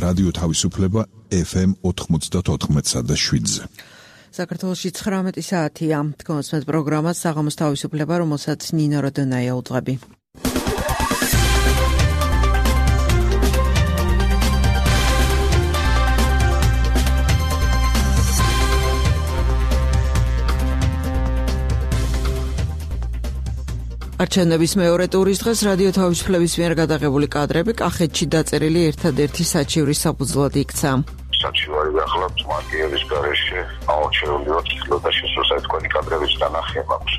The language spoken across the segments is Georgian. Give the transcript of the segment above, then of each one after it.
რადიო თავისუფლება FM 94.7-ზე. საქართველოში 19 საათია. თქვენს პროგრამას საღამოს თავისუფლება, რომელსაც ნინო როდონაია უძღვები. არჩევნების მეორე ტურის დღეს რადიო თავისუფლების მიერ გადაღებული კადრები კახეთში დაწერილი ერთადერთი საჩივრის საფუძვლად იქცა. საჩივარი ახლავთ მარკიერის გარეშე აუჩეული ოთხილო და შესაძლოა თქვენი კადრების დანახია მაქვს.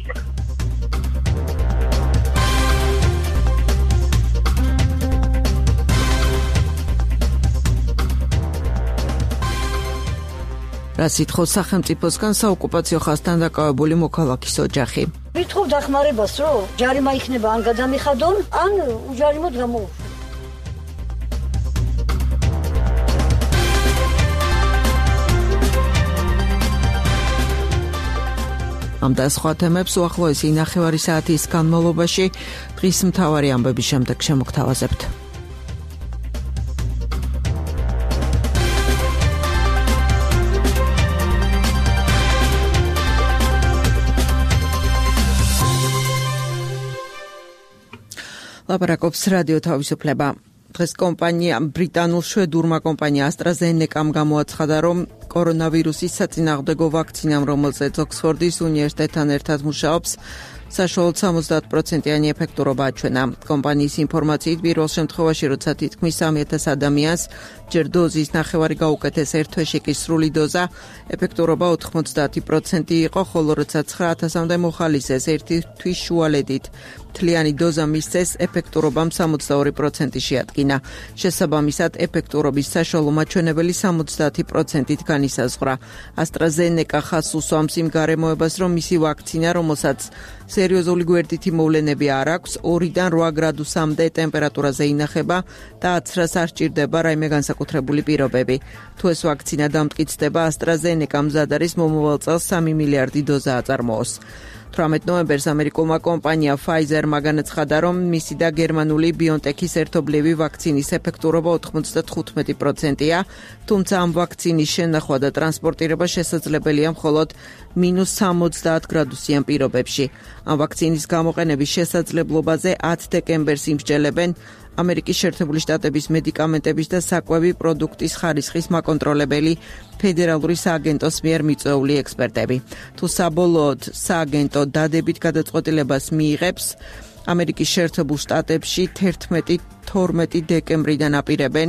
რა სიტყვის სახელმწიფოსგან საოკუპაციო ხაზთან დაკავებული მოქალაქის ოჯახი. ვიტყობ დახმარებას, რომ ჯარიმა იქნება ან გადამიხადონ, ან უჯარიმოდ გამოუშვენ. ამ და სხვა თემებს უახლოესი ნახევარი საათის განმავლობაში დღის მთავარი ამბების შემდეგ შემოგთავაზებთ. ლაპარაკობს რადიო თავისუფლება. დღეს კომპანია ბრიტანულ შვედურმა კომპანია AstraZeneca-მ გამოაცხადა, რომ კორონავირუსის საწინააღმდეგო ვაქცინამ, რომელზეც ოქსფორდის უნივერსიტეტთან ერთად მუშაობს, საშუალოდ 70%-იანი ეფექტურობა აჩვენა. კომპანიის ინფორმაციით, პირველ შემთხვევაში, როცა თითქმის 3,000 ადამიანს ჯერ დოზის ნახევარი გაუკეთეს, ერთ თვეში კი სრული დოზა, ეფექტურობა 90% იყო, ხოლო როცა 9,000-მდე მოხალისეს ერთი თვის შუალედით მთლიანი დოზა მისცეს, ეფექტურობამ 62% შეადგინა. შესაბამისად, ეფექტურობის საშუალო მაჩვენებელი 70%-ით განისაზღვრა. AstraZeneca ხაზს უსვამს იმ გარემოებას, რომ მისი ვაქცინა, რომელსაც სერიოზული გვერდითი მოვლენები არ აქვს, 2-დან 8 გრადუსამდე ტემპერატურაზე ინახება და აცრას არ სჭირდება რაიმე განსაკუთრებული პირობები. თუ ეს ვაქცინა დამტკიცდება, AstraZeneca მზად არის მომავალ წელს 3 მილიარდი დოზა აწარმოოს. 18 ნოემბერს ამერიკულმა კომპანია Pfizer-მა განაცხადა, რომ მისი და გერმანული BioNTech-ის ერთობლივი ვაქცინის ეფექტურობა 95%-ია, თუმცა ამ ვაქცინის შენახვა და ტრანსპორტირება შესაძლებელია მხოლოდ -70 გრადუსიან პირობებში. ამ ვაქცინის გამოყენების შესაძლებლობაზე 10 დეკემბერს იმსჯელებენ ამერიკის შეერთებული შტატების მედიკამენტების და საკვები პროდუქტის ხარისხის მაკონტროლებელი ფედერალური სააგენტოს მიერ მიწვეული ექსპერტები. თუ საბოლოოდ სააგენტო დადებით გადაწყვეტილებას მიიღებს, ამერიკის შეერთებულ შტატებში 11-12 დეკემბრიდან აპირებენ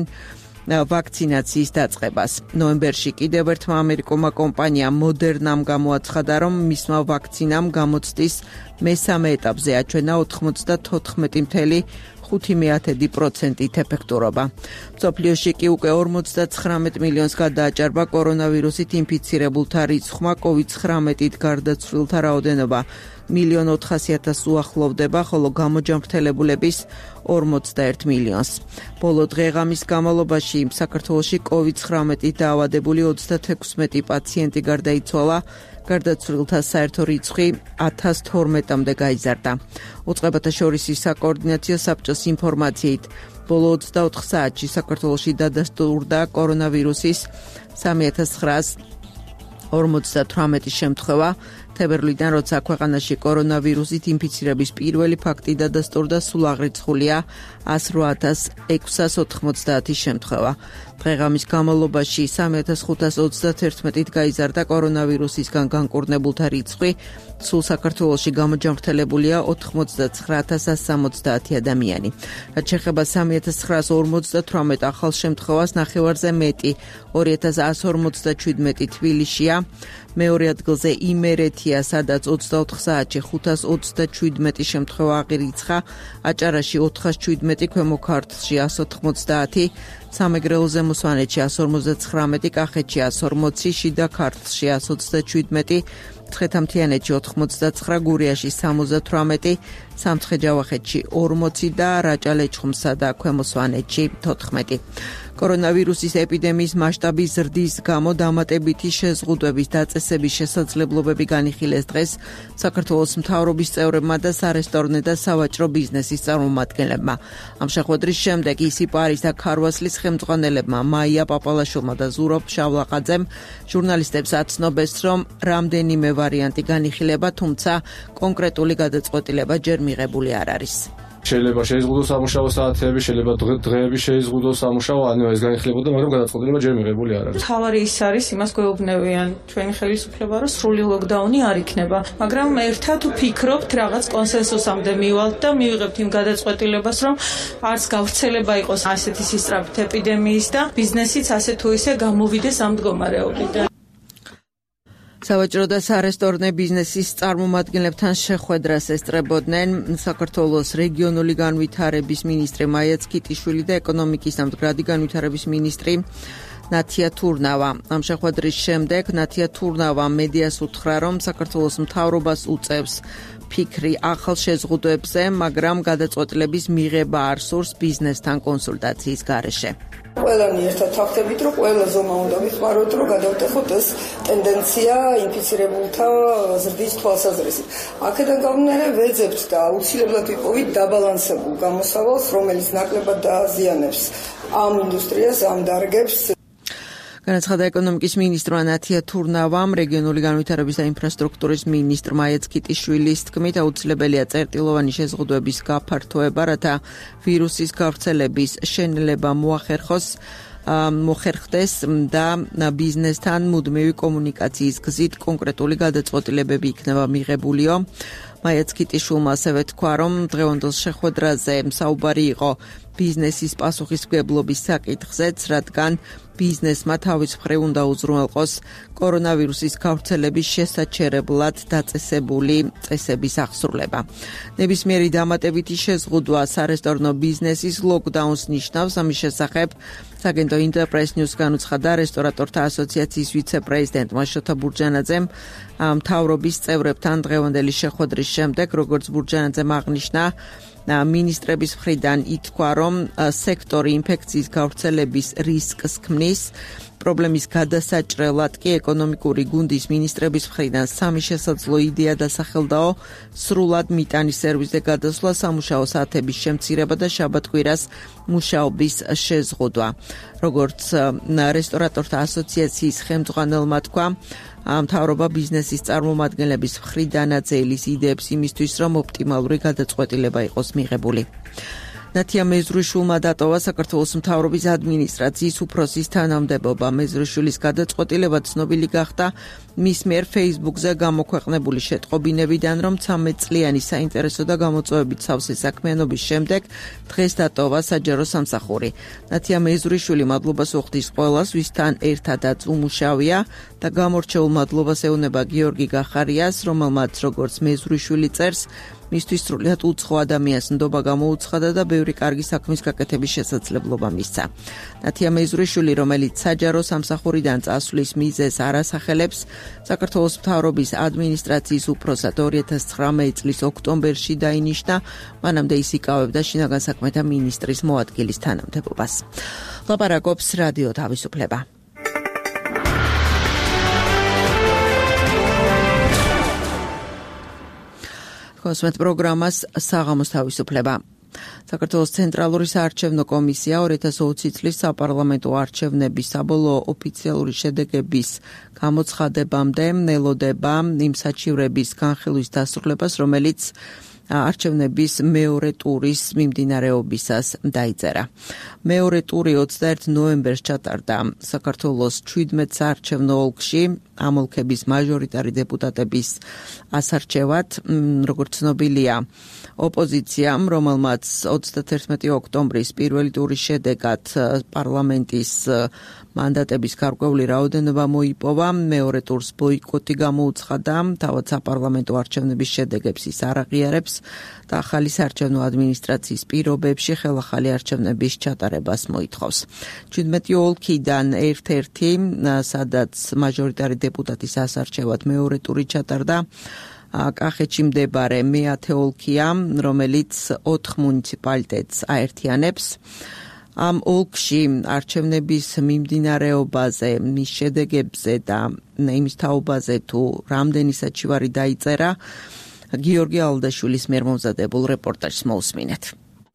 ვაქცინაციის დაწყებას. ნოემბერში კიდევ ერთმა ამერიკულმა კომპანიამ Moderna-მ გამოაცხადა, რომ მისმა ვაქცინამ გამოცდის მესამე ეტაპზე აჩვენა 94.5%-ით ეფექტურობა. მსოფლიოში კი უკვე 59 მილიონს გადააჭარბა კორონავირუსით ინფიცირებულთა რიცხვმა, COVID-19-ით გარდაცვლილთა რაოდენობა 1,400,000 უახლოვდება, ხოლო გამოჯანმრთელებულების 41 მილიონს. ბოლო დღე-ღამის განმავლობაში საქართველოში COVID-19-ით დაავადებული 36 პაციენტი გარდაიცვალა, გარდაცვლილთა საერთო რიცხვი 1012-მდე გაიზარდა. უწყებათა შორის საკოორდინაციო საბჭოს ინფორმაციით, ბოლო 24 საათში საქართველოში დადასტურდა კორონავირუსის 3948 შემთხვევა. თებერვლიდან, როცა ქვეყანაში კორონავირუსით ინფიცირების პირველი ფაქტი დადასტურდა, სულ აღრიცხულია 108,690 შემთხვევა. დღე-ღამის განმავლობაში 3531-ით გაიზარდა კორონავირუსისგან განკურნებულთა რიცხვი, სულ საქართველოში გამოჯანმრთელებულია 89,170 ადამიანი. რაც შეეხება 3958 ახალ შემთხვევას, ნახევარზე მეტი 2157 თბილისშია, მეორე ადგილზე იმერეთია, სადაც 24 საათში 527 შემთხვევა აღირიცხა, აჭარაში 417, ქვემო ქართლში 190, სამეგრელოზე მოსვანეთში 159, კახეთში 140, შიდა ქართლში 127, ცხეთამთიანეთში 89, გურიაში 78, სამცხე-ჯავახეთში 40 და რაჭა-ლეჩხუმსა და ქვემო სვანეთში 14. კორონავირუსის ეპიდემიის მასშტაბის ზრდის გამო დამატებითი შეზღუდვების დაწესების შესაძლებლობები განიხილეს დღეს საქართველოს მთავრობის წევრებმა და სარესტორნე და სავაჭრო ბიზნესის წარმომადგენლებმა. ამ შეხვედრის შემდეგ ისიპარის და ქარვასლის ხელმძღვანელებმა მაია პაპალაშვილმა და ზურაბ შავლაყაძემ ჟურნალისტებს აცნობეს, რომ რამდენიმე ვარიანტი განიხილება, თუმცა კონკრეტული გადაწყვეტილება ჯერ მიღებული არ არის. შეიძლება შეიზღუდოს სამუშაო საათები, შეიძლება დღეები შეიზღუდოს სამუშაო, ანუ ეს განიხილებოდა, მაგრამ გადაწყვეტილება ჯერ მიღებული არ არის. თავარი ის არის, იმას გვეუბნებიან ჩვენი ხელისუფლება, რომ სრული ლოკდაუნი არ იქნება, მაგრამ ერთად ვფიქრობთ, რაღაც კონსენსუსამდე მივალთ და მივიღებთ იმ გადაწყვეტილებას, რომ არც გავრცელება იყოს ასეთი სისწრაფით ეპიდემიის და ბიზნესიც ასე თუ ისე გამოვიდეს ამ მდგომარეობიდან. სავაჭრო და სარესტორნე ბიზნესის წარმომადგენლებთან შეხვედრას ესწრებოდნენ საქართველოს რეგიონული განვითარების მინისტრი მაია ცქიტიშვილი და ეკონომიკის და მდგრადი განვითარების მინისტრი ნათია თურნავა. ამ შეხვედრის შემდეგ ნათია თურნავა მედიას უთხრა, რომ საქართველოს მთავრობას უწევს ფიქრი ახალ შეზღუდვებზე, მაგრამ გადაწყვეტილების მიღება არ სურს ბიზნესთან კონსულტაციის გარეშე. ყველანი ერთად ვახდებით, რომ ყველა ზომა უნდა ვიხმაროთ, რომ გადავტეხოთ ეს ტენდენცია ინფიცირებულთა ზრდის თვალსაზრისით. აქედან გამომდინარე ვეძებთ და აუცილებლად ვიპოვით დაბალანსებულ გამოსავალს, რომელიც ნაკლებად დააზიანებს ამ ინდუსტრიას, ამ დარგებს. განაცხადა ეკონომიკის მინისტრმა ნათია თურნავამ, რეგიონული განვითარების და ინფრასტრუქტურის მინისტრ მაია ცქიტიშვილის თქმით, აუცილებელია წერტილოვანი შეზღუდვების გაფართოება, რათა ვირუსის გავრცელების შენელება მოხერხდეს და ბიზნესთან მუდმივი კომუნიკაციის გზით კონკრეტული გადაწყვეტილებები იქნება მიღებულიო. მაია ცქიტიშვილმა ასევე თქვა, რომ დღევანდელ შეხვედრაზე საუბარი იყო ბიზნესის პასუხისმგებლობის საკითხზეც, რადგან ბიზნესმა თავის მხრივ უნდა უზრუნველყოს კორონავირუსის გავრცელების შესაჩერებლად დაწესებული წესების აღსრულება. ნებისმიერი დამატებითი შეზღუდვა სარესტორნო ბიზნესის ლოკდაუნს ნიშნავს. ამის შესახებ საგენდო ინტერპრეს ნიუს განუცხადა რესტორატორთა ასოციაციის ვიცე-პრეზიდენტმა შოთა ბურჯანაძემ მთავრობის წევრებთან დღევანდელი შეხვედრის შემდეგ, როგორც ბურჯანაძემ აღნიშნა, მინისტრების მხრიდან ითქვა, რომ სექტორი ინფექციის გავრცელების რისკს ქმნის. პრობლემის გადასაჭრელად კი ეკონომიკური გუნდის მინისტრების მხრიდან სამი შესაძლო იდეა დასახელდაო: სრულად მიტანის სერვისზე გადასვლა, სამუშაო საათების შემცირება და შაბათ-კვირას მუშაობის შეზღუდვა. როგორც რესტორატორთა ასოციაციის ხელმძღვანელმა თქვა, მთავრობა ბიზნესის წარმომადგენლების მხრიდანაც ელის იდეებს იმისთვის, რომ ოპტიმალური გადაწყვეტილება იყოს მიღებული. ნათია მეზრუშვილმა დატოვა საქართველოს მთავრობის ადმინისტრაციის უფროსის თანამდებობა. მეზრუშვილის გადაწყვეტილება ცნობილი გახდა მის მიერ Facebook-ზე გამოქვეყნებული შეტყობინებიდან, რომ 13 წლიანი საინტერესო და გამოწვევებით სავსე საქმიანობის შემდეგ დღეს დატოვა საჯარო სამსახური. ნათია მეზრუშვილი მადლობას უხდის ყველას, ვისთან ერთადაც უმუშავია და გამორჩეულ მადლობას ეუბნება გიორგი გახარიას, რომელმაც როგორც მეზრუშვილი წერს, მისთვის სრულიად უცხო ადამიანს ნდობა გამოუცხადა და ბევრი კარგი საქმის გაკეთების შესაძლებლობა მისცა. ნათია მეზრუშვილი, რომელიც საჯარო სამსახურიდან წასვლის მიზეზს არ ასახელებს, საქართველოს მთავრობის ადმინისტრაციის უფროსად 2019 წლის ოქტომბერში დაინიშნა, მანამდე ის იკავებდა შინაგან საქმეთა მინისტრის მოადგილის თანამდებობას. ლაპარაკობს რადიო თავისუფლება. კონსუმენტ პროგრამას საღამოს თავისუფლება. საქართველოს ცენტრალური საარჩევნო კომისია 2020 წლის საპარლამენტო არჩევნების საბოლოო ოფიციალური შედეგების გამოცხადებამდე ელოდება იმ საჩივრების განხილვის დასრულებას, რომელიც არჩევნების მეორე ტურის მიმდინარეობისას დაიწერა. მეორე ტური 21 ნოემბერს ჩატარდა საქართველოს 17 საარჩევნო ოლქში ამ ოლქების მაჟორიტარი დეპუტატების ასარჩევად. როგორც ცნობილია, ოპოზიციამ, რომელმაც რაც 31 ოქტომბრის პირველი ტურის შედეგად პარლამენტის მანდატების გარკვეული რაოდენობა მოიპოვა, მეორე ტურს ბოიკოტი გამოუცხადა, თავად საპარლამენტო არჩევნების შედეგებს ის არ აღიარებს და ახალი საარჩევნო ადმინისტრაციის პირობებში ხელახალი არჩევნების ჩატარებას მოითხოვს. 17 ოლქიდან ერთ-ერთი, სადაც მაჟორიტარი დეპუტატის ასარჩევად მეორე ტური ჩატარდა, კახეთში მდებარე მეათე ოლქია, რომელიც 4 მუნიციპალიტეტს აერთიანებს. ამ ოლქში არჩევნების მიმდინარეობაზე, მის შედეგებზე და იმის თაობაზე თუ რამდენი საჩივარი დაიწერა, გიორგი ალდაშვილის მიერ მომზადებულ რეპორტაჟს მოусმინეთ.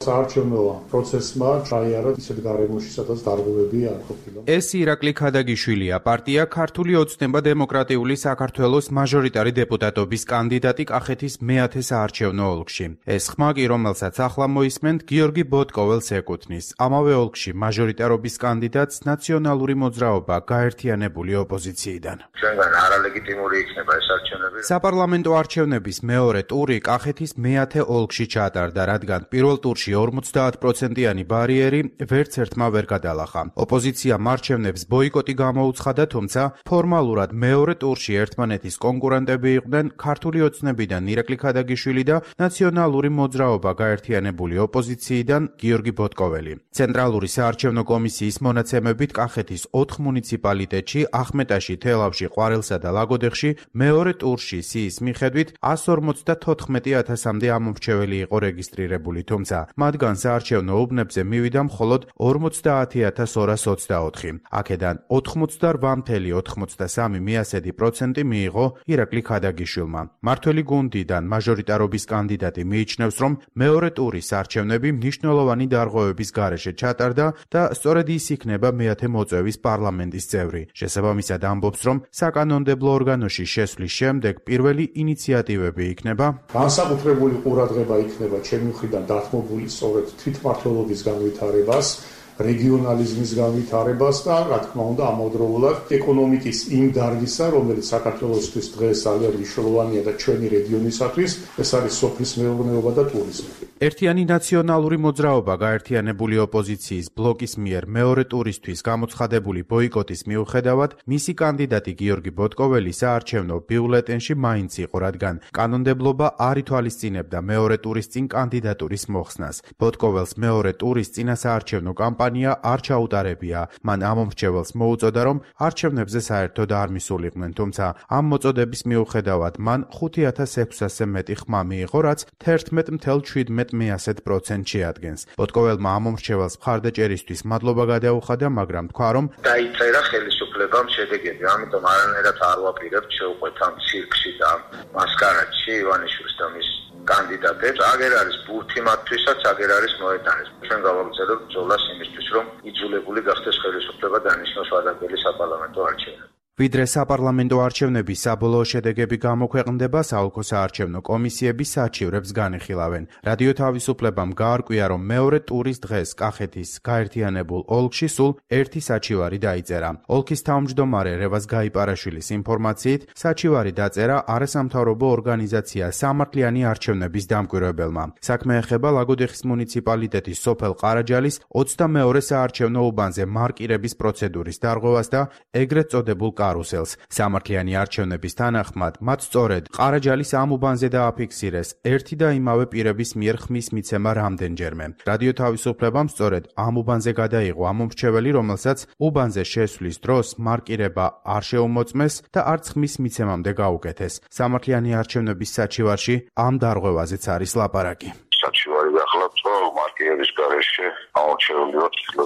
საარჩევნო პროცესმა ჩაიარა ისეთ გარემოში, სადაც დარღვევები არ ყოფილა. ეს ირაკლი ქადაგიშვილია, პარტია ქართული ოცნება დემოკრატიული საქართველოს მაჟორიტარი დეპუტატობის კანდიდატი კახეთის მეათე საარჩევნო ოლქში. ეს ხმა კი, რომელსაც ახლა მოისმენთ, გიორგი ბოტკოველს ეკუთვნის. ამავე ოლქში მაჟორიტარობის კანდიდატს ნაციონალური მოძრაობა გაერთიანებული ოპოზიციიდან. ჩვენგან არალეგიტიმური იქნება ეს არჩევნები. საპარლამენტო არჩევნების მეორე ტური კახეთის მეათე ოლქში ჩატარდა, რადგან პირველ ტურში 50%-იანი ბარიერი ვერც ერთმა ვერ გადალახა. ოპოზიციამ არჩევნებს ბოიკოტი გამოუცხადა, თუმცა ფორმალურად მეორე ტურში ერთმანეთის კონკურენტები იყვნენ ქართული ოცნებიდან ირაკლი ქადაგიშვილი და ნაციონალური მოძრაობა გაერთიანებული ოპოზიციიდან გიორგი ბოტკოველი. ცენტრალური საარჩევნო კომისიის მონაცემებით კახეთის 4 მუნიციპალიტეტში, ახმეტაში, თელავში, ყვარელსა და ლაგოდეხში მეორე ტურში სიის მიხედვით 154,000-მდე ამომრჩეველი იყო რეგისტრირებული, თუმცა მათგან საარჩევნო უბნებზე მივიდა მხოლოდ 50,224. აქედან 88,93% მიიღო ირაკლი ქადაგიშვილმა. მართველი გუნდიდან მაჟორიტარობის კანდიდატი მიიჩნევს, რომ მეორე ტურის არჩევნები მნიშვნელოვანი დარღვევების გარეშე ჩატარდა და სწორედ ის იქნება მეათე მოწვევის პარლამენტის წევრი. შესაბამისად ამბობს, რომ საკანონმდებლო ორგანოში შესვლის შემდეგ პირველი ინიციატივები იქნება განსაკუთრებული ყურადღება იქნება ჩემი მხრიდან დათმობული სწორედ თვითმმართველობის განვითარებას, რეგიონალიზმის განვითარებას და რა თქმა უნდა ამავდროულად ეკონომიკის იმ დარგისა, რომელიც საქართველოსთვის დღეს ძალიან მნიშვნელოვანია და ჩვენი რეგიონისათვის, ეს არის სოფლის მეურნეობა და ტურიზმი. ერთიანი ნაციონალური მოძრაობა გაერთიანებული ოპოზიციის ბლოკის მიერ მეორე ტურისთვის გამოცხადებული ბოიკოტის მიუხედავად, მისი კანდიდატი გიორგი ბოტკოველი საარჩევნო ბიულეტენში მაინც იყო, რადგან კანონმდებლობა არ ითვალისწინებდა მეორე ტურის წინ კანდიდატურის მოხსნას. ბოტკოველს მეორე ტურის წინა საარჩევნო კამპანია არ ჩაუტარებია. მან ამომრჩეველს მოუწოდა, რომ არჩევნებზე საერთოდ არ მისულიყვნენ, თუმცა ამ მოწოდების მიუხედავად მან 5,600-ზე მეტი ხმა მიიღო, რაც 11,17% შეადგენს. ბოტკოველმა ამომრჩეველს მხარდაჭერისთვის მადლობა გადაუხადა, მაგრამ თქვა, რომ დაიწერა ხელისუფლებამ შედეგები, ამიტომ არანაირად არ ვაპირებთ შევყვეთ ამ ცირკში და მასკარადში ივანიშვილს და მის კანდიდატებს. აგერ არის ბურთი მათთვისაც, აგერ არის მოედანიც. ჩვენ გავაგრძელებთ ბრძოლას იმისთვის, რომ იძულებული გახდეს ხელისუფლება დანიშნოს ვადებელი საპარლამენტო არჩევნები. ვიდრე საპარლამენტო არჩევნების საბოლოო შედეგები გამოქვეყნდება, საოლქო საარჩევნო კომისიები საჩივრებს განიხილავენ. რადიო თავისუფლებამ გაარკვია, რომ მეორე ტურის დღეს კახეთის გაერთიანებულ ოლქში სულ ერთი საჩივარი დაიწერა. ოლქის თავმჯდომარე რევაზ გაიპარაშვილის ინფორმაციით, საჩივარი დაწერა არასამთავრობო ორგანიზაცია სამართლიანი არჩევნების დამკვირვებელმა. საქმე ეხება ლაგოდეხის მუნიციპალიტეტის სოფელ ყარაჯალის 22 საარჩევნო უბანზე მარკირების პროცედურის დარღვევას და ეგრეთ წოდებულ კარუსელს. სამართლიანი არჩევნების თანახმად, მათ სწორედ ყარაჯალის ამ უბანზე დააფიქსირეს ერთი და იმავე პირების მიერ ხმის მიცემა რამდენჯერმე. რადიო თავისუფლებამ სწორედ ამ უბანზე გადაიღო ამომრჩეველი, რომელსაც უბანზე შესვლის დროს მარკირება არ შეუმოწმეს და არც ხმის მიცემამდე გაუკეთეს. სამართლიანი არჩევნების საჩივარში ამ დარღვევაზეც არის ლაპარაკი. საჩივარი ახლავთ, რომ მარკირების გარეშე ამორჩეული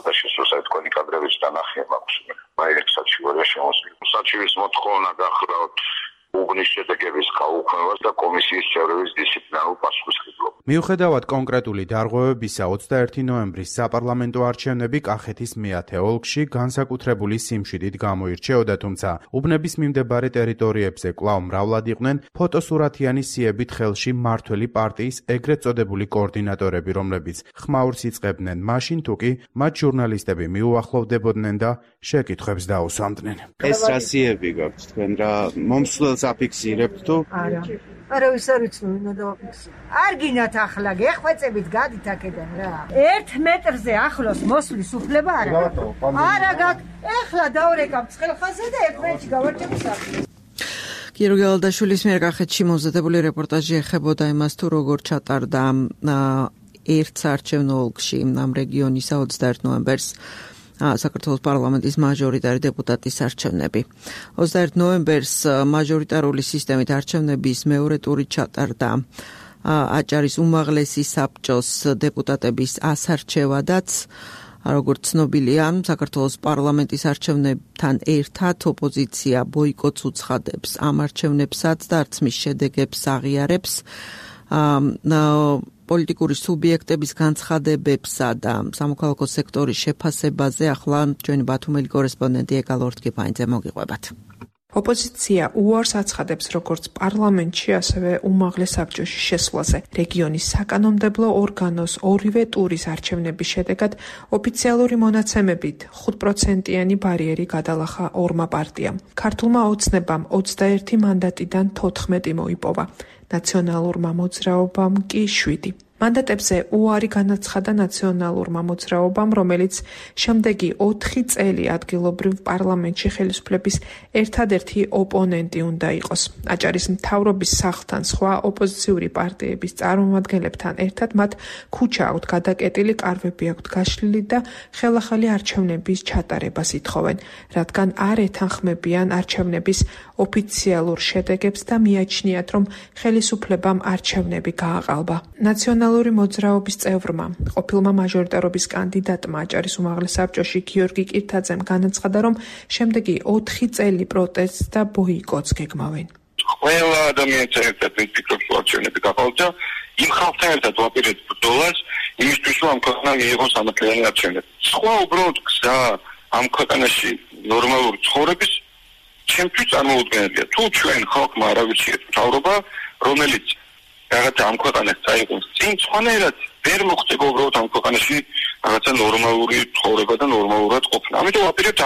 და შესუსა თქვენი კადრების დანახი მაქვს. აი ეს საჩივარია შემოსული. საჩივის მოთხოვნა გახლავთ უბნის შედეგების გაუქმებას და კომისიის წევრების დისციპლინარულ პასუხისმგებლობას. მიუხედავად კონკრეტული დარღვევებისა, 21 ნოემბრის საპარლამენტო არჩევნები კახეთის მეათე ოლქში განსაკუთრებული სიმშვიდით გამოირჩეოდა, თუმცა უბნების მიმდებარე ტერიტორიებზე კვლავ მრავლად იყვნენ ფოტოსურათიანი სიებით ხელში მმართველი პარტიის ეგრეთ წოდებული კოორდინატორები, რომლებიც ხმაურს იწყებდნენ მაშინ, თუ კი მათ ჟურნალისტები მიუახლოვდებოდნენ და შეკითხვებს დაუსვამდნენ. ეს რა სიები გაქვთ თქვენ, რა მომსვლელს აფიქსირებთ თუ? არა. არავის არ ვიცნობ უნდა დავაფიქსო. არ გინათ ახლა გეხვეწებით გადით აქედან რა. 1 მეტრზე ახლოს მოსვლის უფლება არ აქვს. არა გაქვს. ეხლა დავრეკავ ცხელხაზე და 1 მეტრში გავარჩევ სახლი. გიორგი ალდაშვილის მიერ კახეთში მომზადებული რეპორტაჟი ეხებოდა იმას თუ როგორ ჩატარდა ერთ საარჩევნო ოლქში ამ რეგიონის 21 ნოემბერს საქართველოს პარლამენტის მაჟორიტარი დეპუტატის არჩევნები. 21 ნოემბერს მაჟორიტარული სისტემით არჩევნების მეორე ტური ჩატარდა აჭარის უმაღლესი საბჭოს დეპუტატების ასარჩევადაც. როგორც ცნობილია, საქართველოს პარლამენტის არჩევნებთან ერთად ოპოზიცია ბოიკოტს უცხადებს ამ არჩევნებსაც და არც მის შედეგებს აღიარებს. პოლიტიკური სუბიექტების განცხადებებსა და სამოქალაქო სექტორის შეფასებაზე ახლა ჩვენი ბათუმელი კორესპონდენტი ეკალ ორთქიფანიძე მოგიყვებათ. ოპოზიცია უარს აცხადებს როგორც პარლამენტში, ასევე უმაღლეს საბჭოში შესვლაზე. რეგიონის საკანონმდებლო ორგანოს ორივე ტურის არჩევნების შედეგად ოფიციალური მონაცემებით 5%-იანი ბარიერი გადალახა ორმა პარტიამ. ქართულმა ოცნებამ 21 მანდატიდან 14 მოიპოვა. ნაციონალურმა მოძრაობამ კი 7. მანდატებზე უარი განაცხადა ნაციონალურმა მოძრაობამ, რომელიც შემდეგი 4 წელი ადგილობრივ პარლამენტში ხელისუფლების ერთადერთი ოპონენტი უნდა იყოს. აჭარის მთავრობის სახლთან სხვა ოპოზიციური პარტიების წარმომადგენლებთან ერთად მათ ქუჩა აქვთ გადაკეტილი, კარვები აქვთ გაშლილი და ხელახალი არჩევნების ჩატარებას ითხოვენ, რადგან არ ეთანხმებიან არჩევნების ოფიციალურ შედეგებს და მიაჩნიათ, რომ ხელისუფლებამ არჩევნები გააყალბა. ნაციონალური მოძრაობის წევრმა, ყოფილმა მაჟორიტარობის კანდიდატმა აჭარის უმაღლეს საბჭოში გიორგი კირთაძემ განაცხადა, რომ შემდეგი 4 წელი პროტესტს და ბოიკოტს გეგმავენ. ყველა ადამიანს ერთად ვფიქრობ, რომ არჩევნები გაყალბდა, იმ ხალხთან ერთად ვაპირებთ ბრძოლას, იმისთვის რომ ამ ქვეყანა მიიღოს სამართლიანი არჩევნები. სხვა უბრალოდ გზა ამ ქვეყანაში ნორმალური ცხოვრების ჩემთვის წარმოუდგენელია. თუ ჩვენ ხალხმა არ ავირჩიეთ მთავრობა, რომელიც რაღაცა ამ ქვეყანას წაიღოს წინ, სხვანაირად ვერ მოხდება უბრალოდ ამ ქვეყანაში რაღაცა ნორმალური ცხოვრება და ნორმალურად ყოფნა. ამიტომ ვაპირებთ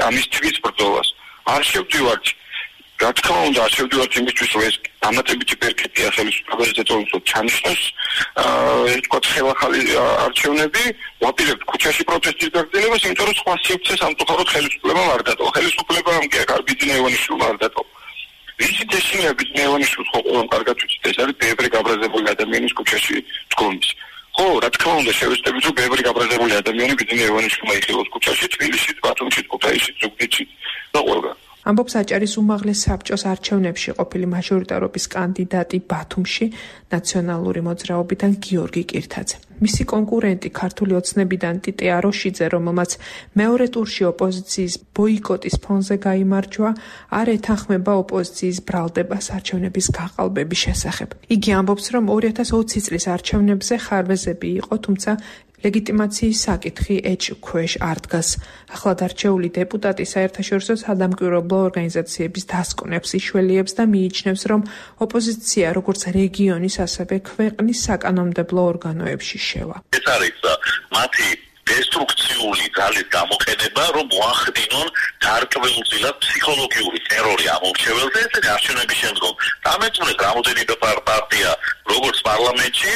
ამისთვის ბრძოლას. არ შევდივართ, რა თქმა უნდა, არ შევდივართ იმისთვის, რომ ეს დამატებითი პერფექტია ხელისუფლებას ეწევა ჩანიშნოს, თქვა ხელახალი არჩევნები, ვაპირებთ ქუჩაში პროტესტის გაგრძელებას, იმიტომ რომ სხვა სივრცე სამწუხაროდ ხელისუფლებამ არ დატოვა. ხელისუფლებამ კი აქ ბიძინა ივანიშვილმა არ დატოვა. ვიცით ესია ბიძინა ივანიშვილს ხო ყველამ კარგად ვიცით, ეს არის ბევრი გაბრაზებული ადამიანის ქუჩაში დგომის. ხო, რა თქმა უნდა, შევეცდებით, რომ ბევრი გაბრაზებული ადამიანი ბიძინა ივანიშვილმა იხილოს ქუჩაში, თბილისში, ბათუმში, ქუთაისში, ზუგდიდში და ყველგან. ამბობს აჭარის უმაღლეს საბჭოს არჩევნებში ყოფილი მაჟორიტარობის კანდიდატი ბათუმში ნაციონალური მოძრაობიდან გიორგი კირთაძე. მისი კონკურენტი ქართული ოცნებიდან ტიტე აროშიძე, რომელმაც მეორე ტურში ოპოზიციის ბოიკოტის ფონზე გაიმარჯვა, არ ეთანხმება ოპოზიციის ბრალდებას არჩევნების გაყალბების შესახებ. იგი ამბობს, რომ 2020 წლის არჩევნებზე ხარვეზები იყო, თუმცა ლეგიტიმაციის საკითხი ეჭქვეშ არ დგას. ახლად არჩეული დეპუტატი საერთაშორისო სადამკვირვებლო ორგანიზაციების დასკვნებს იშველიებს და მიიჩნევს, რომ ოპოზიცია როგორც რეგიონის, ასევე ქვეყნის საკანონმდებლო ორგანოებში შევა. ეს არის მათი დესტრუქციული ძალის გამოყენება, რომ მოახდინონ დარკვეულწილად ფსიქოლოგიური ტერორი ამ მომრჩეველზე, ესენი არჩევნების შემდგომ. დამეწუნეთ რამოდენიმე პარტია, როგორც პარლამენტში,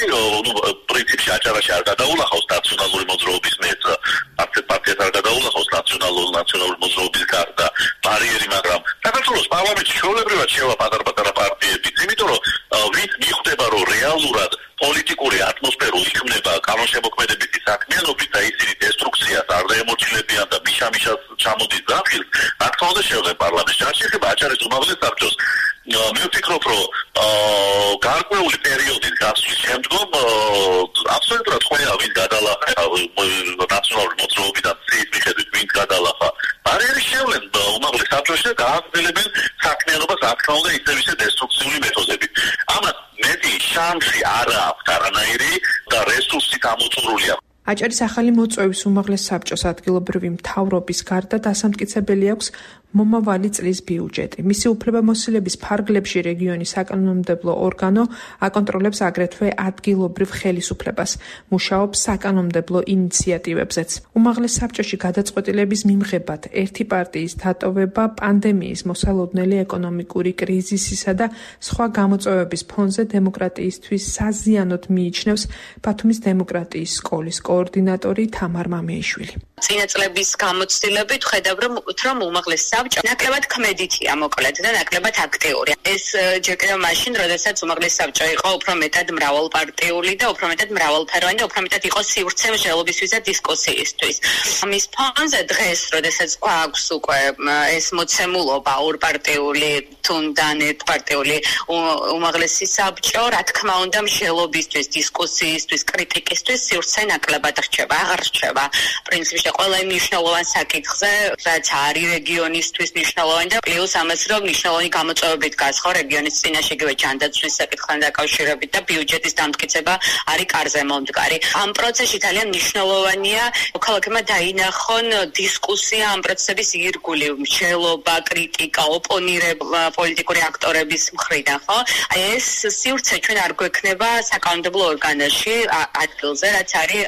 პრინციპში აჭარაში არ გადაულახავს ნაციონალური მოძრაობის მეც, პარტიას არ გადაულახავს ნაციონალური მოძრაობის გარდა ბარიერი, მაგრამ საქართველოს პარლამენტში ჩვეულებრივად შევა პატარ-პატარა პარტიებიც, იმიტომ რომ ვინც მიხვდება, რომ რეალურად პოლიტიკური ატმოსფერო იქმნება კანონშემოქმედებითი საქმიანობით და ისინი დესტრუქციას არ დაემორჩილებიან და მიშამიშას ჩამოდის დახილს, რა თქმა უნდა შევდნენ პარლამენტში. არ შეიძლება აჭარის უმაღლეს საბჭოს. მე ვფიქრობ, რომ გარკვეული პერიოდის გასვლის შემდგომ აბსოლუტურად ყველა ვინც გადალახა ნაციონალური მოძრაობიდან ცის მიხედვით ვინც გადალახა ბარიერი შევლენ უმაღლეს საბჭოში და გააგრძელებენ საქმიანობას, რა თქმა უნდა, ისე დესტრუქციული მეთოდებით. ამას მეტი შანსი არ აქვს არანაირი და რესურსით ამოწურულია. აჭარის ახალი მოწვევის უმაღლეს საბჭოს ადგილობრივი მთავრობის გარდა დასამტკიცებელი აქვს მომავალი წლის ბიუჯეტი. მისი უფლებამოსილების ფარგლებში რეგიონის საკანონმდებლო ორგანო აკონტროლებს აგრეთვე ადგილობრივ ხელისუფლებას, მუშაობს საკანონმდებლო ინიციატივებზეც. უმაღლეს საბჭოში გადაწყვეტილების მიმღებად ერთი პარტიის დატოვება პანდემიის, მოსალოდნელი ეკონომიკური კრიზისისა და სხვა გამოწვევების ფონზე დემოკრატიისთვის საზიანოდ მიიჩნევს ბათუმის დემოკრატიის სკოლის კოორდინატორი თამარ მამეიშვილი. წინა წლების გამოცდილებით ხედავ რომ უმაღლეს საბჭო ნაკლებად ქმედითია მოკლედ და ნაკლებად აქტიური. ეს ჯერ კიდევ მაშინ, როდესაც უმაღლეს საბჭო იყო უფრო მეტად მრავალპარტიული და უფრო მეტად მრავალფეროვანი და უფრო მეტად იყო სივრცე მსჯელობისთვის და დისკუსიისთვის. ამის ფონზე დღეს, როდესაც გვაქვს უკვე ეს მოცემულობა ორპარტიული თუნდან ერთპარტიული უმაღლესი საბჭო, რა თქმა უნდა, მსჯელობისთვის, დისკუსიისთვის, კრიტიკისთვის სივრცე ნაკლებად რჩება, აღარ რჩება. პრინციპში ყველა იმ მნიშვნელოვან საკითხზე, რაც არის რეგიონისთვის მნიშვნელოვანი და პლუს ამას რომ მნიშვნელოვანი გამოწვევებით გასხო რეგიონის წინაშე იგივე ჯანდაცვის საკითხთან დაკავშირებით და ბიუჯეტის დამტკიცება არის კარზე მომდგარი. ამ პროცესში ძალიან მნიშვნელოვანია მოქალაქეებმა დაინახონ დისკუსია ამ პროცესების ირგვლივ, მსჯელობა, კრიტიკა, ოპონირება პოლიტიკური აქტორების მხრიდან, ხო? აი ეს სივრცე ჩვენ არ გვექნება საკანონმდებლო ორგანოში ადგილზე, რაც არის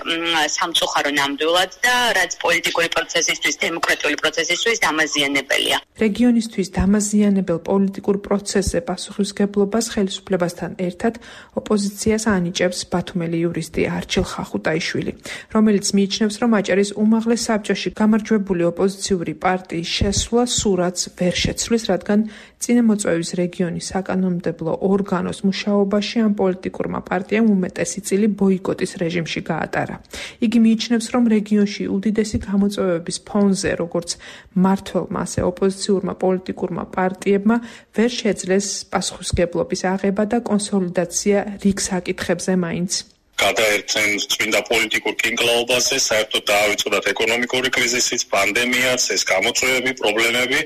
სამწუხარო ნამდვილად და რაც პოლიტიკური პროცესისთვის, დემოკრატიული პროცესისთვის დამაზიანებელია. რეგიონისთვის დამაზიანებელ პოლიტიკურ პროცესზე პასუხისმგებლობას ხელისუფლებასთან ერთად ოპოზიციას ანიჭებს ბათუმელი იურისტი არჩილ ხახუტაიშვილი, რომელიც მიიჩნევს, რომ აჭარის უმაღლეს საბჭოში გამარჯვებული ოპოზიციური პარტიის შესვლა სურათს ვერ შეცვლის, რადგან წინამოწვევის რეგიონის საკანონმდებლო ორგანოს მუშაობაში ამ პოლიტიკურმა პარტიამ უმეტესი წილი ბოიკოტის რეჟიმში გაატარა. იგი მიიჩნევს, რომ რეგიონში უდიდესი გამოწვევების ფონზე, როგორც მმართველმა, ასე ოპოზიციურმა პოლიტიკურმა პარტიებმა ვერ შეძლეს პასუხისმგებლობის აღება და კონსოლიდაცია რიგ საკითხებზე მაინც. გადაერთენ წმინდა პოლიტიკურ კინკლაობაზე, საერთოდ დაავიწყდათ ეკონომიკური კრიზისიც, პანდემიაც, ეს გამოწვევები, პრობლემები.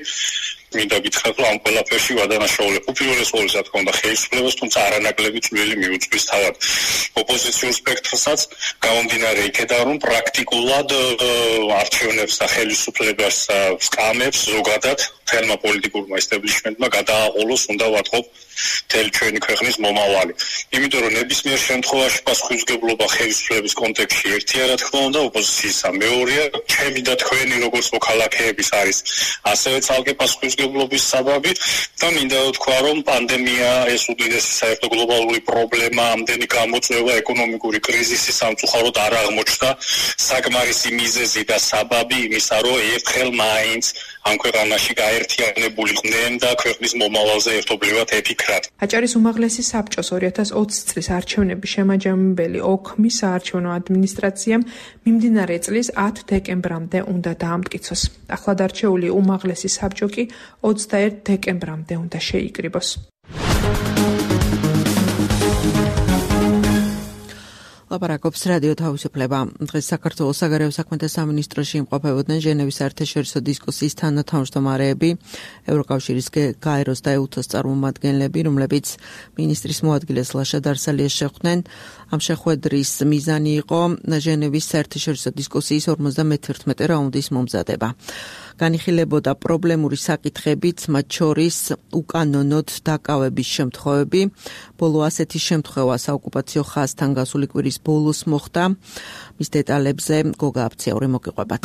მინდა გითხრათ, რომ ამ ყველაფერში ვადანაშაულებ უპირველეს ყოვლისა, რა თქმა უნდა, ხელისუფლებას, თუმცა არანაკლები წვლილი მიუძღვის თავად ოპოზიციურ სპექტრსაც, გამომდინარე იქედან, რომ პრაქტიკულად არჩევნებს და ხელისუფლებას სკამებს ზოგადად თელმა პოლიტიკურმა ესტაბლიშმენტმა გადააყოლოს, უნდა ვატყობ მთელი ჩვენი ქვეყნის მომავალი. იმიტომ რომ ნებისმიერ შემთხვევაში პასუხისმგებლობა ხელისუფლების კონტექსტში ერთია, რა თქმა უნდა, ოპოზიციისა მეორეა. ჩემი და თქვენი როგორც მოქალაქეების არის ასევე ცალკე პასუხისმგებლობის საბაბი და მინდა ვთქვა, რომ პანდემია ეს უდიდესი საერთო გლობალური პრობლემა, ამდენი გამოწვევა, ეკონომიკური კრიზისი სამწუხაროდ არ აღმოჩნდა საკმარისი მიზეზი და საბაბი იმისა, რომ ერთხელ მაინც ამ ქვეყანაში გაერთიანებულიყვნენ და ქვეყნის მომავალზე ერთობლივად ეფიქრათ. აჭარის უმაღლესი საბჭოს 2020 წლის არჩევნების შემაჯამებელი ოქმის საარჩევნო ადმინისტრაციამ მიმდინარე წლის 10 დეკემბრამდე უნდა დაამტკიცოს. ახლად არჩეული უმაღლესი საბჭო კი 21 დეკემბრამდე უნდა შეიკრიბოს. ლაპარაკობს რადიო თავისუფლება. დღეს საქართველოს საგარეო საქმეთა სამინისტროში იმყოფებოდნენ ჟენევის საერთაშორისო დისკუსიის თანათავმჯდომარეები, ევროკავშირის გაეროს და ეუთოს წარმომადგენლები, რომლებიც მინისტრის მოადგილეს ლაშა დარსალიას შეხვდნენ. ამ შეხვედრის მიზანი იყო ჟენევის საერთაშორისო დისკუსიის 51 რაუნდის მომზადება. განიხილებოდა პრობლემური საკითხებიც, მათ შორის უკანონოდ დაკავების შემთხვევები. ბოლო ასეთი შემთხვევა საოკუპაციო ხაზთან გასული კვირის ბოლოს მოხდა. მის დეტალებზე გოგა აფციაური მოგიყვებათ.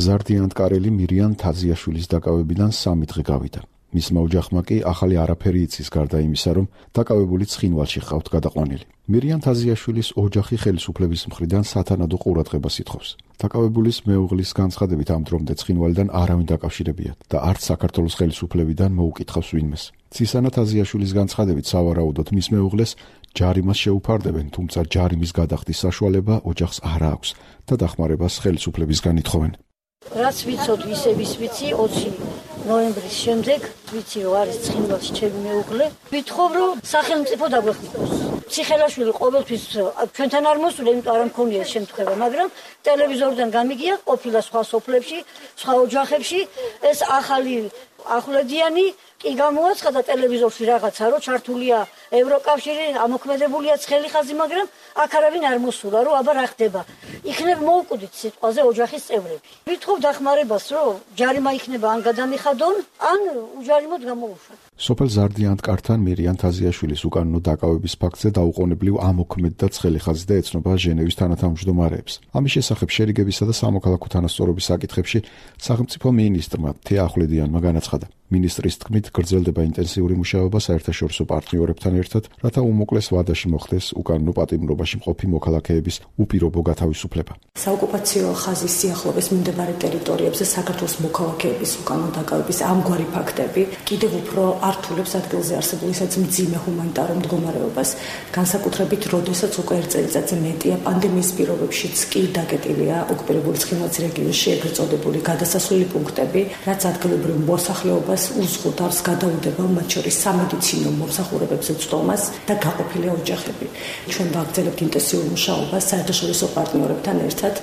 ზარდიანტკარელი მირიან თაზიაშვილის დაკავებიდან 3 დღე გავიდა. მისმა ოჯახმა კი ახალი არაფერი იცის გარდა იმისა, რომ დაკავებული ცხინვალში ხავთ გადაყვანილი. მირიან თაზიაშვილის ოჯახი ხელისუფლების მხრიდან სათანადო ყურადღებას ითხოვს. დაკავებულის მეუღლის განცხადებით ამ დრომდე ცხინვალიდან არავინ დაკავშირებიათ და არც საქართველოს ხელისუფლებიდან მოუკითხავს ვინმეს. ცისანა თაზიაშვილის განცხადებით სავარაუდოდ მის მეუღლეს ჯარიმას შეუფარდებენ, თუმცა ჯარიმის გადახდის საშუალება ოჯახს არ აქვს და დახმარებას ხელისუფლებისგან ითხოვენ. რაც ვიცოდ ისე ვიცი 20 ნოემბრის შემდეგ ვიცი რომ არის ცხინვალში ჩემი მეუღლე. ვითხოვ რომ სახელმწიფო დაგვეხმაროს. ციხელაშვილი ყოველთვის ჩვენთან არ მოსულა, იმიტომ არ მქონია შემთხვევა, მაგრამ ტელევიზორიდან გამიგია ყოფილა სხვა სოფლებში, სხვა ოჯახებში ეს ახალი ახვლედიანი კი გამოაცხადა ტელევიზორში რაღაცა, რომ ჩართულია ევროკავშირი, ამოქმედებულია ცხელი ხაზი, მაგრამ აქ არავინ არ მოსულა, რომ აბა რა ხდება. იქნებ მოუკვდით სიტყვაზე ოჯახის წევრები. ვითხოვ დახმარებას, რომ ჯარიმა იქნება ან გადამიხადონ, ან უჯარიმოდ გამოუშვათ. სოფელ ზარდიანთკართან მირიან თაზიაშვილის უკანონო დაკავების ფაქტზე დაუყოვნებლივ ამოქმედდა ცხელი ხაზი და ეცნობა ჟენევის თანათავმჯდომარეებს. ამის შესახებ შერიგებისა და სამოქალაქო თანასწორობის საკითხებში სახელმწიფო მინისტრმა თეა ახვლედიანმა განაცხადა. მინისტრის თქმით, გრძელდება ინტენსიური მუშაობა საერთაშორისო პარტნიორებთან ერთად, რათა უმოკლეს ვადაში მოხდეს უკანონო პატიმრობაში მყოფი მოქალაქეების უპირობო გათავისუფლება. საოკუპაციო ხაზის სიახლოვეს მიმდებარე ტერიტორიებზე საქართველოს მოქალაქეების უკანონო დაკავების ამგვარი ფაქტები კიდევ უფრო ართულებს ადგილზე არსებულ ისეთ მძიმე ჰუმანიტარულ მდგომარეობას, განსაკუთრებით, როდესაც უკვე ერთ წელიწადზე მეტია პანდემიის პირობებშიც კი დაკეტილია ოკუპირებული ცხინვალის რეგიონში ეგრეთ წოდებული გადასასვლელი პუნქტები, რაც ადგილობრივ მოსახლეობას უზღუდავს გადაუდება, მათ შორის სამედიცინო მომსახურებებზე წვდომას და გაყოფილია ოჯახები. ჩვენ ვაგრძელებთ ინტენსიურ მუშაობას საერთაშორისო პარტნიორებთან ერთად,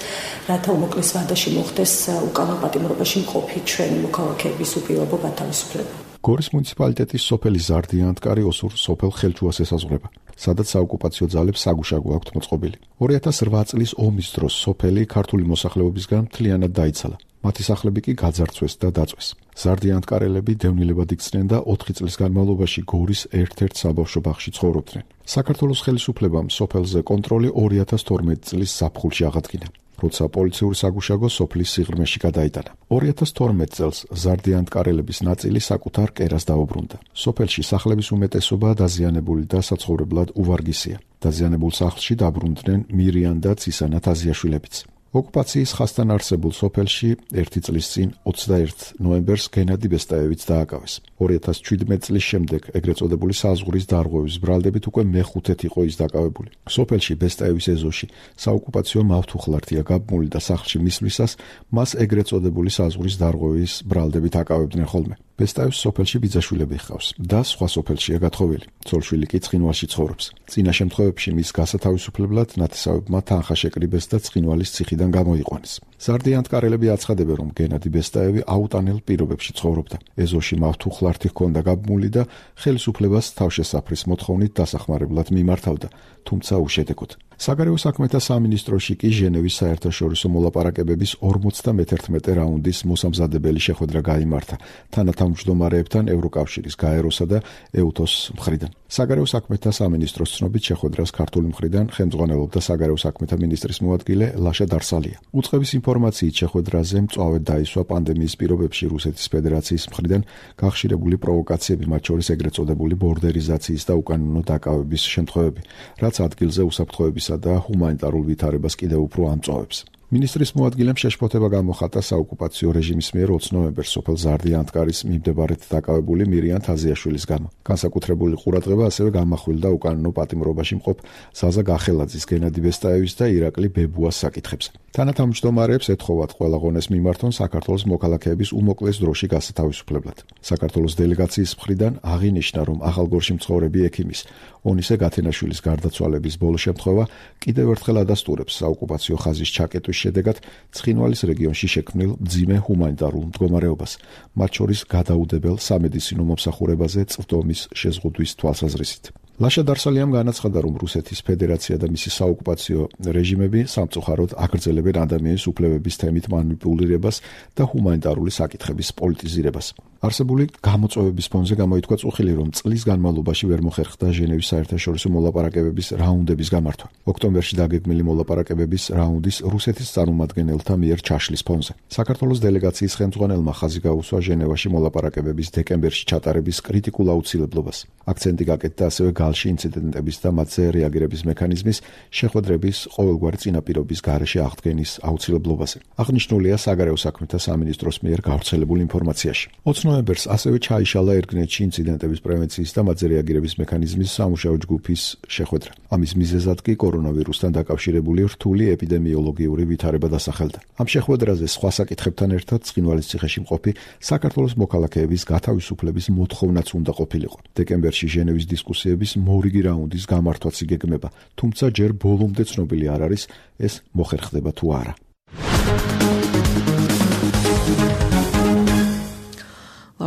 რათა უმოკლეს ვადაში მოხდეს უკანონო პატიმრობაში მყოფი ჩვენი მოქალაქეების უპირობო გათავისუფლება. გორის მუნიციპალიტეტის სოფელი ზარდიანთკარი ოსურ სოფელ ხელჩუას ესაზღვრება, სადაც საოკუპაციო ძალებს საგუშაგო აქვთ მოწყობილი. 2008 წლის ომის დროს სოფელი ქართული მოსახლეობისგან მთლიანად დაიცალა. მათი სახლები კი გაძარცვეს და დაწვეს. ზარდიანთკარელები დევნილებად იქცნენ და 4 წლის განმავლობაში გორის ერთ-ერთ საბავშვო ბაღში ცხოვრობდნენ. საქართველოს ხელისუფლებამ სოფელზე კონტროლი 2012 წლის ზაფხულში აღადგინა, როცა პოლიციური საგუშაგო სოფლის სიღრმეში გადაიტანა. 2012 წელს ზარდიანთკარელების ნაწილი საკუთარ კერას დაუბრუნდა. სოფელში სახლების უმეტესობა დაზიანებული და საცხოვრებლად უვარგისია. დაზიანებულ სახლში დაბრუნდნენ მირიან და ცისანა თაზიაშვილებიც. ოკუპაციის ხასთან არსებულ სოფელში 1 წლის წინ 21 ნოემბერს გენადი ბესტაევიც დააკავეს. 2017 წლის შემდეგ ეგრეთ წოდებული საზღვრის დარღვევის ბრალდებით უკვე მეხუთედ იყო ის დაკავებული. სოფელში ბესტაევის ეზოში საოკუპაციო მავთუხლართია გაბმული და სახლში მისვლისას მას ეგრეთ წოდებული საზღვრის დარღვევის ბრალდებით აკავებდნენ ხოლმე. ბესტაევს სოფელში ბიძაშვილები ჰყავს და სხვა სოფელშია გათხოვილი. ცოლშვილი კი ცხინვალში ცხოვრობს. წინა შემთხვევებში მის გასათავისუფლებლად ნათესავებმა თანხა შეკრიბეს და ცხინვალის ციხიდან გამოიყვანეს. ზარდიანთკარელები აცხადებენ, რომ გენადი ბესტაევი აუტანელ პირობებში ცხოვრობდა. ეზოში მავთუხლართი ჰქონდა გაბმული და ხელისუფლებას თავშესაფრის მოთხოვნით დასახმარებლად მიმართავდა, თუმცა უშედეგოდ. საგარეო საქმეთა სამინისტროში კი ჟენევის საერთაშორისო მოლაპარაკებების 51 რაუნდის მოსამზადებელი შეხვედრა გაიმართა თანათავმჯდომარეებთან ევროკავშირის გაეროსა და ეუთოს მხრიდან. საგარეო საქმეთა სამინისტროს ცნობით შეხვედრას ქართული მხრიდან ხელმძღვანელობდა საგარეო საქმეთა მინისტრის მოადგილე ლაშა დარსალია. უწყების ინფორმაციით შეხვედრაზე მწვავედ დაისვა პანდემიის პირობებში რუსეთის ფედერაციის მხრიდან გახშირებული პროვოკაციები, მათ შორის ეგრეთ წოდებული ბორდერიზაციის და უკანონო დაკავების შემთხვევები, რაც ადგილზე უსაფრთხოების და ჰუმანიტარულ ვითარებას კიდევ უფრო ამწვავებს. მინისტრის მოადგილემ შეშფოთება გამოხატა საოკუპაციო რეჟიმის მიერ 20 ნოემბერს სოფელ ზარდიანთკარის მიმდებარედ დაკავებული მირიან თაზიაშვილის გამო. განსაკუთრებული ყურადღება ასევე გამახვილდა უკანონო პატიმრობაში მყოფ ზაზა გახელაძის, გენადი ბესტაევის და ირაკლი ბებუას საკითხებზე. თანათავმჯდომარეებს ეთხოვათ ყველა ღონეს მიმართონ საქართველოს მოქალაქეების უმოკლეს დროში გასათავისუფლებლად. საქართველოს დელეგაციის მხრიდან აღინიშნა, რომ ახალგორში მცხოვრები ექიმის ონისე გათენაშვილის გარდაცვალების ბოლო შემთხვევა კიდევ ერთხელ ადასტურებს საოკუპაციო ხაზის ჩაკეტვის შედეგად ცხინვალის რეგიონში შექმნილ მძიმე ჰუმანიტარულ მდგომარეობას, მათ შორის გადაუდებელ სამედიცინო მომსახურებაზე წვდომის შეზღუდვის თვალსაზრისით. ლაშა დარსალიამ განაცხადა, რომ რუსეთის ფედერაცია და მისი საოკუპაციო რეჟიმები სამწუხაროდ აგრძელებენ ადამიანის უფლებების თემით მანიპულირებას და ჰუმანიტარული საკითხების პოლიტიზირებას. არსებული გამოწვევების ფონზე გამოითქვა წუხილი, რომ წლის განმავლობაში ვერ მოხერხდა ჟენევის საერთაშორისო მოლაპარაკებების რაუნდების გამართვა. ოქტომბერში დაგეგმილი მოლაპარაკებების რაუნდის რუსეთის წარმომადგენელთა მიერ ჩაშლის ფონზე. საქართველოს დელეგაციის ხელმძღვანელმა ხაზი გაუსვა ჟენევაში მოლაპარაკებების დეკემბერში ჩატარების კრიტიკულ აუცილებლობას. აქცენტი გაკეთდა ასევე გალში ინციდენტების და მათზე რეაგირების მექანიზმის შეხვედრების ყოველგვარი წინაპირობის გარეშე აღდგენის აუცილებლობაზე. აღნიშნულია საგარეო საქმეთა სამინისტროს მიერ გავრცელებულ ინფორმაციაში. 20 ნოემბერს ასევე ჩაიშალა ერგნეთში ინციდენტების პრევენციის და მათზე რეაგირების მექანიზმის სამუშაო ჯგუფის შეხვედრა. ამის მიზეზად კი კორონავირუსთან დაკავშირებული რთული ეპიდემიოლოგიური ვითარება დასახელდა. ამ შეხვედრაზე სხვა საკითხებთან ერთად ცხინვალის ციხეში მყოფი საქართველოს მოქალაქეების გათავისუფლების მოთხოვნაც უნდა ყოფილიყო. დეკემბერში ჟენევის დისკუსიების მორიგი რაუნდის გამართვაც იგეგმება, თუმცა ჯერ ბოლომდე ცნობილი არ არის, ეს მოხერხდება თუ არა.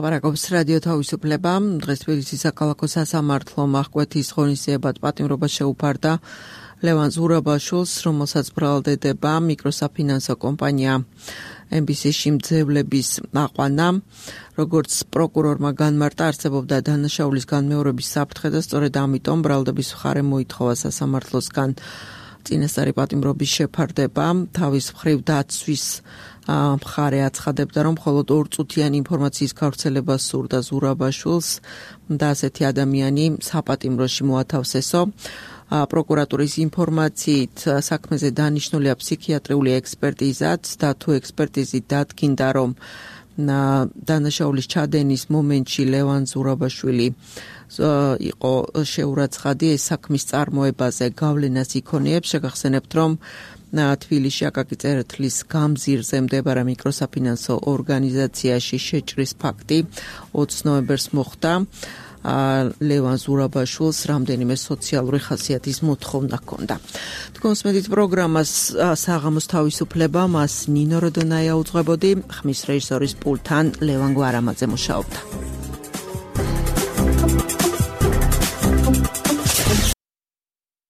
ლაპარაკობს რადიო თავისუფლება. დღეს თბილისის საქალაქო სასამართლომ აღკვეთის ღონისძიებად პატიმრობა შეუფარდა ლევან ზურაბაშვილს, რომელსაც ბრალდება მიკროსაფინანსო კომპანია MBC-ში მძევლების აყვანა. როგორც პროკურორმა განმარტა, არსებობდა დანაშაულის განმეორების საფრთხე და სწორედ ამიტომ ბრალდების მხარე მოითხოვა სასამართლოსგან წინასწარი პატიმრობის შეფარდება. თავის მხრივ დაცვის მხარე აცხადებდა, რომ მხოლოდ 2 წუთიანი ინფორმაციის გავრცელება სურდა ზურაბაშვილს და ასეთი ადამიანი საპატიმროში მოათავსესო. პროკურატურის ინფორმაციით საქმეზე დანიშნულია ფსიქიატრიული ექსპერტიზაც და თუ ექსპერტიზით დადგინდა, რომ დანაშაულის ჩადენის მომენტში ლევან ზურაბაშვილი იყო შეურაცხადი, ეს საქმის წარმოებაზე გავლენას იქონიებს. შეგახსენებთ, რომ თბილისში აკაკი წერეთლის გამზირზე მდებარე მიკროსაფინანსო ორგანიზაციაში შეჭრის ფაქტი 20 ნოემბერს მოხდა. ლევან ზურაბაშვილს რამდენიმე სოციალური ხასიათის მოთხოვნა ჰქონდა. თქვენს მედით პროგრამას საღამოს თავისუფლება, მას ნინო როდონაია უძღვებოდი, ხმის რეჟისორის პულტთან ლევან გვარამაძე მუშაობდა.